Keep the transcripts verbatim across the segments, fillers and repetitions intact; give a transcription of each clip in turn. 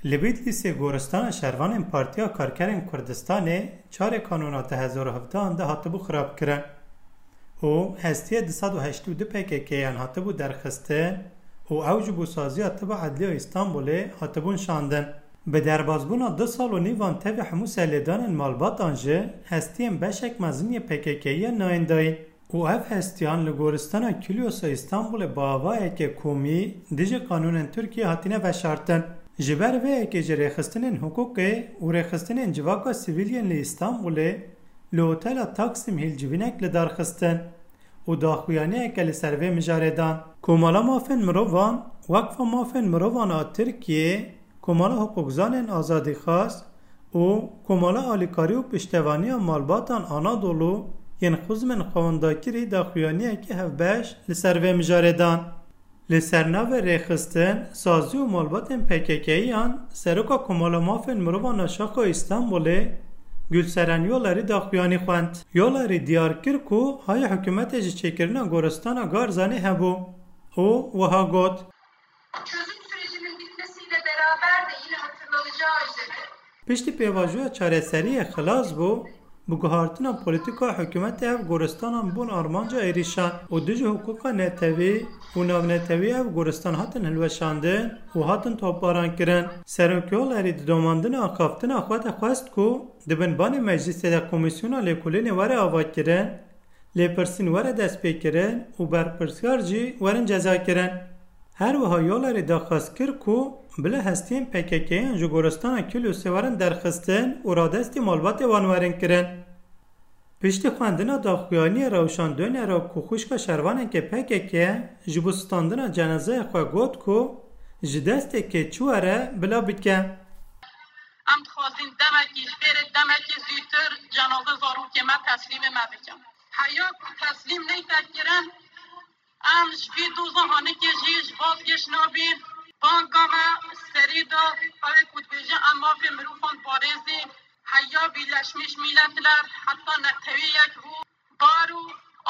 Li Bîtlîsê goristana şervanên Partiya Karkerên Kurdistanê çarê Kanûna du hezar û hevdehan de hatibû xirabkirin û hestiyê du sed û heştê û du P K K'yan hatibû derxistin û ew ji bo saziya Tiba Edliya Îstanbulê hatibûn şandin. Bi derbasbûna du sal û nîvan tevî hemû serlêdanên malbatan jî hestiyên beşek mezin yê P K K'yê yên nayîn dayîn. Û ev hestiyan li goristana Kiliosê Îstanbulê bi avayeke komî dijî qanûnên Tirkiyê hatine veşartin. Ji ber vê yekê jî rêxistinên hiqûqê û rêxistinên civaka sivîl yên li Îstanbulê li Otela Taksim Hîl civînek li dar xistin û daxuyaniyeke li ser vê mijarê dan. Komala Mafên Mirovan, Wekfa Mafên Mirovan a Tirkiyê, Komala Hiqûqzanên Azadîxwaz û Komala Alîkarî û Piştevaniya Malbatan Anadolu yên xizmên xwewendakirî daxuyaniyekî hevbeş li ser vê mijarê dan. Li ser navê rêxistin, sazî û malbatên P K K'yan Seroka Komala Mafên Mirovan a Şaxa Îstanbulê Gülseren Yolerî daxuyanî xwend. Yolerî diyar kir ku hayê hikûmetê ji çêkirina goristana Garzanî hebû û wiha got: Çözüm sürecinin bitmesiyle beraber de yine hatırlanacağı üzere Piştî pêvajoya çareseriyê xilas bû, bi guhartina polîtîka hikûmetê ev goristanan bûn armanca êrîşan û dijî hiqûqa netewî û navnetewî ev goristan hatin hilweşandin û hatin topbaran kirin. Serok Yolerî di domandina axaftina xwe de xwest ku di bin banê meclîsê de komîsyona lêkolînê were avakirin, lêpirsîn were destpêkirin û berpirsiyar jî werin cezakirin. Her wiha Yolerî daxwaz kir ku bila hestiyên P K K'yan ji goristana Kiliosê werin derxistin û radestî malbatê wan werin kirin. Piştî xwendina daxuyaniyê Rewşan Doner a ku xwişka şervanekê P K K ji bo standina cenazeya xwe got ku ji destê kê çi were bila bike. Em dixwazin demekî ji bêrê demekî zûtir cenaze zarokê me teslîmê me bikin. Heya ku teslîm neyte kirin, em ji vî doza hanikê jî ji vazgeş nabîn. Banga me serî da, ew ê ku dibêje em mafê mirovan parêzîn. Heya Birleşmiş Milletler, heta netewî yek bû. Baro,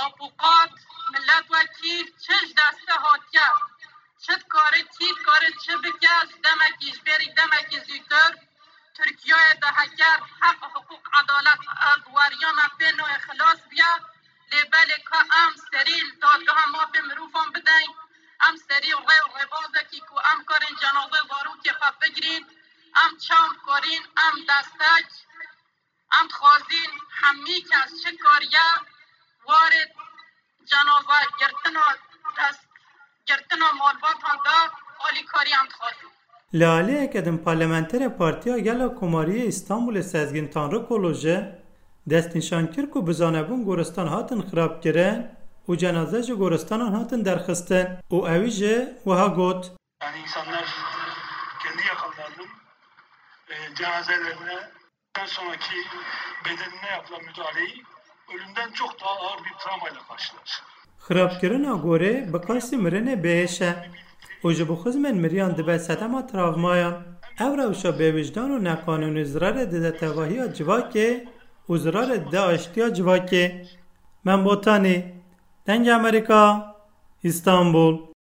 apuqat, miletwekîl, çi ji deste hatiye, çi dikare, kî dikare çi bike, ji demekî, ji bêrî demekî zûtir Tirkiyeyê de heger heq, hiqûq, edalet, ev weriya me pê nayê xilas biye. Lê belê ka em serî li dadgeha mafê mirovan bideyn, em serî rê û rêbazekî ku em karên cenaze zarokê xwe bigirîn, em çawa karîn, em destek, em dixwazîn hemî kes çi kariye warê cenaze girtina dest girtina malbatan de alîkarî em dixwazin. Li aliyeke din parlamenterê Partiya Gel a Komarî yê Îstanbulê Sezgîn Tanrikulu jî destnîşan kir ku bi zanebûn goristan hatin xirabkirin û cenaze ji goristanan hatin derxistin û ewî jî wiha got: Yani insanlar kendi yakınlarının e, cenazelerine sonraki bedenine yapılan müdahaleyi ölümden çok daha ağır bir travmayla karşılar. Xirabkirina gorê bi qasî mirinê bêhêş e û ji bo xizmên miriyan dibe sedema travmayan. Ev rewşa bêwijdan û neqanûnî zirarê dide tevahiya civakê û zirarê dide aştiya civakê. Mem Botanî, Dengê Amerîka, Îstanbul.